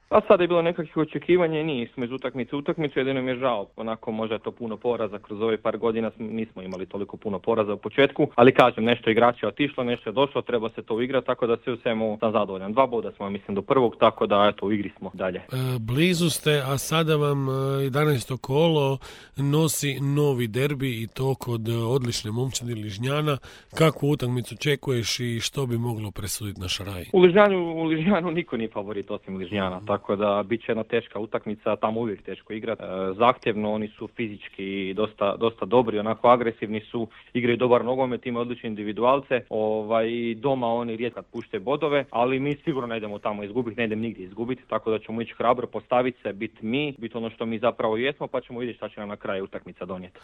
A sada je bilo nekakvih očekivanja i nismo iz utakmice u utakmicu, jedino mi je žao. Onako možda je to puno poraza, kroz ove par godina nismo imali toliko puno poraza u početku, ali kažem, nešto igrača je otišlo, nešto je došlo, treba se to uigrati, tako da sve u svemu sam zadovoljan. 2 boda smo, mislim, do prvog, tako da eto, u igri smo dalje. Blizu ste, a sada vam 11. kolo nosi novi derbi i to kod odlične momčadi Ližnjana. Kakvu utakmicu očekuješ i što bi moglo presuditi na Šaraji? U Ližnjanu niko nije favorit osim Ližnjana, tako da bit će jedna teška utakmica, tamo uvijek teško igrati. Zahtjevno, oni su fizički dosta dobri, onako agresivni su, igraju dobar nogomet, imaju odlične individualce, doma oni rijetko pušte bodove, ali mi sigurno ne idemo tamo izgubiti, ne idemo nigdje izgubiti, tako da ćemo ići hrabro, postaviti se, biti ono što mi zapravo jesmo, pa ćemo vidjeti šta će nam na kraju utakmica donijeti.